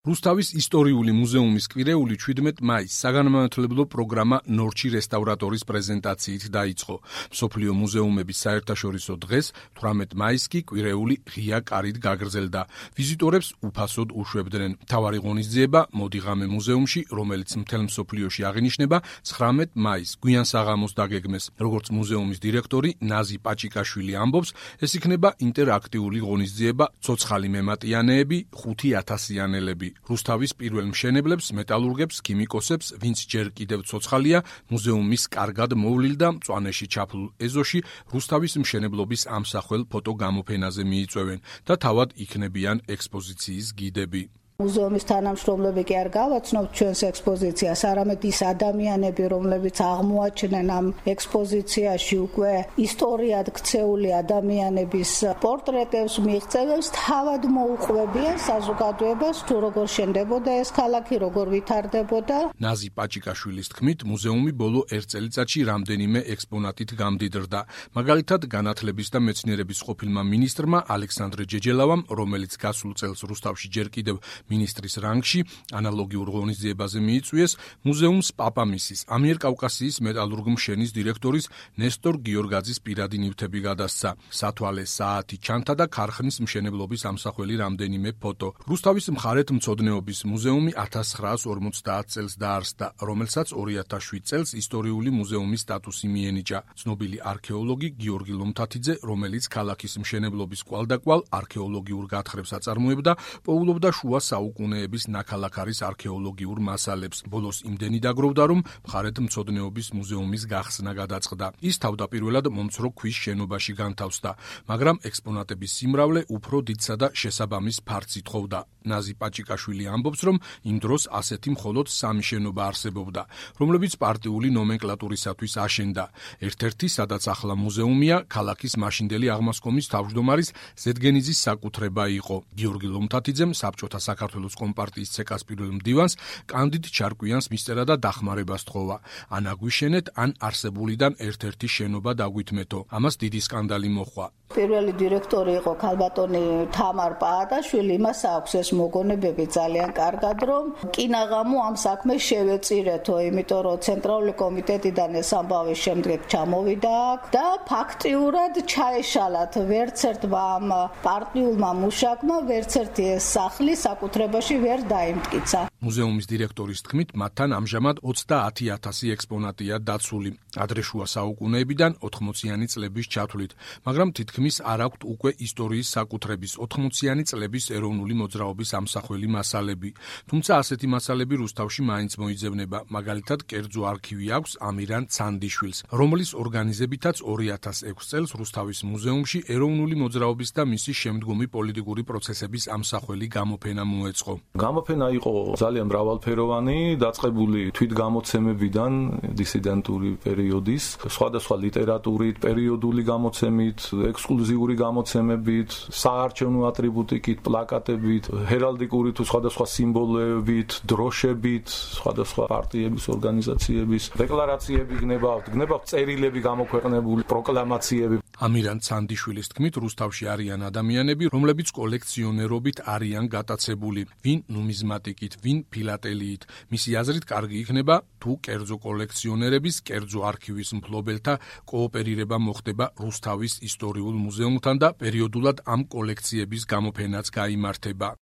რუსთავის ისტორიული მუზეუმის კვირეული 17 მაისს საგანმანათლებლო პროგრამა ნორჩი რესტავრატორის პრეზენტაციით დაიწყო. მსოფლიო მუზეუმების საერთაშორისო დღეს 18 მაისს კი კვირეული ღია კარით გაგრძელდა. ვიზიტორებს უფასოდ უშვებდნენ. მთავარი ღონისძიება მოდიღამე მუზეუმში, რომელიც მთელ მსოფლიოში აღინიშნება 19 მაისს გვიან საღამოს დაგეგმეს. როგორც მუზეუმის დირექტორი ნაზი პაჭიკაშვილი ამბობს, ეს იქნება ინტერაქტიული ღონისძიება ცოცხალი მემატიანეები 5000-იანელები. რუსთავის პირველ მშენებლებს, მეტალურგებს, ქიმიკოსებს, ვინც ჯერ კიდევ ცოცხალია, მუზეუმის კარგად მოვლილ და მწვანეში ჩაფლულ ეზოში რუსთავის მშენებლობის ამსახველ ფოტოგამოფენაზე მიიწვევენ და თავად იქნებიან ექსპოზიციის გიდები. მუზეუმის თანამშრომლები კი არ გავაცნობთ ჩვენს ექსპოზიციას, არამედ ის ადამიანები, რომლებიც აღმოაჩენენ ამ ექსპოზიციაში უკვე ისტორიად ქცეული ადამიანების პორტრეტებს, მიღწევებს, თავად მოუყვებიან საზოგადოებას, თუ როგორ შენდებოდა ეს ქალაქი, როგორ ვითარდებოდა. ნაზი პაჭიკაშვილის თქმით, მუზეუმი ბოლო 1 წელიწადში რამდენიმე ექსპონატით გამდიდრდა. მაგალითად, განათლების და მეცნიერების ყოფილმა მინისტრმა ალექსანდრე ჯეჯელავამ, რომელიც გასულ წელს რუსთავში ჯერ კიდევ მინისტრის რანგში ანალოგიურ ღონისძიებაზე მიიწვიეს მუზეუმს პაპამისის, ამიერკავკასიის მეტალურგ-მშენის დირექტორის ნესტორ გიორგაძის პირადი ნივთები გადასცა. სათვალე საათი ჩანთა და ქარხნის მშენებლობის ამსახველი რამდენიმე ფოტო. რუსთავის მხარეთმცოდნეობის მუზეუმი 1950 წელს დაარსდა, რომელსაც 2007 წელს ისტორიული მუზეუმის სტატუსი მიენიჭა. ცნობილი არქეოლოგი გიორგი ლომთათიძე, რომელიც ქალაქის მშენებლობის კვალდაკვალ არქეოლოგიურ გათხრებს აწარმოებდა, პოულობდა შუა საუკუნეების ნაქალაქარის არქეოლოგიურ მასალებს. ბოლოს იმდენი დაგროვდა, რომ მხარეთმცოდნეობის მუზეუმის გახსნა გადაწყდა. ის თავდაპირველად მომცრო ქვის შენობაში განთავსდა, მაგრამ ექსპონატების სიმრავლე უფრო დიდსა და შესაბამის ფართს ითხოვდა. ნაზი პაჭიკაშვილი ამბობს, რომ იმ დროს ასეთი მხოლოდ 3 შენობა არსებობდა, რომლებიც პარტიული ნომენკლატურისათვის აშენდა. ერთ-ერთი, სადაც ახლა მუზეუმია, ქალაქის მაშინდელი აღმასკომის თავმჯდომარის ზედგენიძის საკუთრება იყო. გიორგი ლომთათიძემ საბჭოთა საქართველოს კომპარტიის ცეკას პირველ მდივანს კანდიდ ჩარკვიანს მისწერა და დახმარება სთხოვა. ან აგვიშენეთ, ან არსებულიდან ერთ-ერთი შენობა დაგვითმეთო. ამას დიდი სკანდალი მოჰყვა. პირველი დირექტორი იყო ქალბატონი თამარ პაატაშვილი, იმას აქვს ეს მოგონებები ძალიან კარგად, რომ კინაღამო ამ საქმეს შევეწირეთო, იმიტომ რომ ცენტრალური კომიტეტიდან ეს ამბავი შემდეგ ჩამოვიდა და ფაქტიურად ჩაეშალათ ვერც ერთმა ამ პარტიულმა მუშაკმა, ვერც ერთი ეს სახლი საკუთრებაში ვერ დაიმტკიცა. მუზეუმის დირექტორის თქმით, მათთან ამჟამად 30,000 ექსპონატია დაცული, ადრე შუა საუკუნეებიდან 80-იანი წლების ჩათვლით, მაგრამ თითქმის არ აქვთ უკვე ისტორიის საკუთრების 80-იანი წლების ეროვნული მოძრაობის ამსახველი მასალები. თუმცა ასეთი მასალები რუსთავში მაინც მოიძებნება. მაგალითად, კერძო არქივი აქვს ამირან ცანდიშვილს, რომლის ორგანიზებითაც 2006 წელს რუსთავის მუზეუმში ეროვნული მოძრაობის და მისი შემდგომი პოლიტიკური პროცესების ამსახველი გამოფენა მოეწყო. გამოფენა იყო ძალიან მრავალფეროვანი, დაწყებული თვითგამოცემებიდან, დისიდენტური პერიოდის, სხვადასხვა ლიტერატურით, პერიოდული გამოცემით, ექსკლუზიური გამოცემებით, საარჩევნო ატრიბუტიკით, პლაკატებით, ჰერალდიკური თუ სხვადასხვა სიმბოლოებით, დროშებით, სხვადასხვა პარტიების, ორგანიზაციების დეკლარაციები გნებავთ წერილები გამოქვეყნებული, პროკლამაციები. ამირან ცანდიშვილის თქმით, რუსთავში არიან ადამიანები, რომლებიც კოლექციონერობით არიან გატაცებული, ვინ ნუმიზმატიკით, ვინ ფილატელიით. მისი აზრით, კარგი იქნება, თუ კერძო კოლექციონერების, კერძო არქივის მფლობელთა კოოპერირება მოხდება რუსთავის ისტორიულ მუზეუმთან და პერიოდულად ამ კოლექციების გამოფენაც გაიმართება.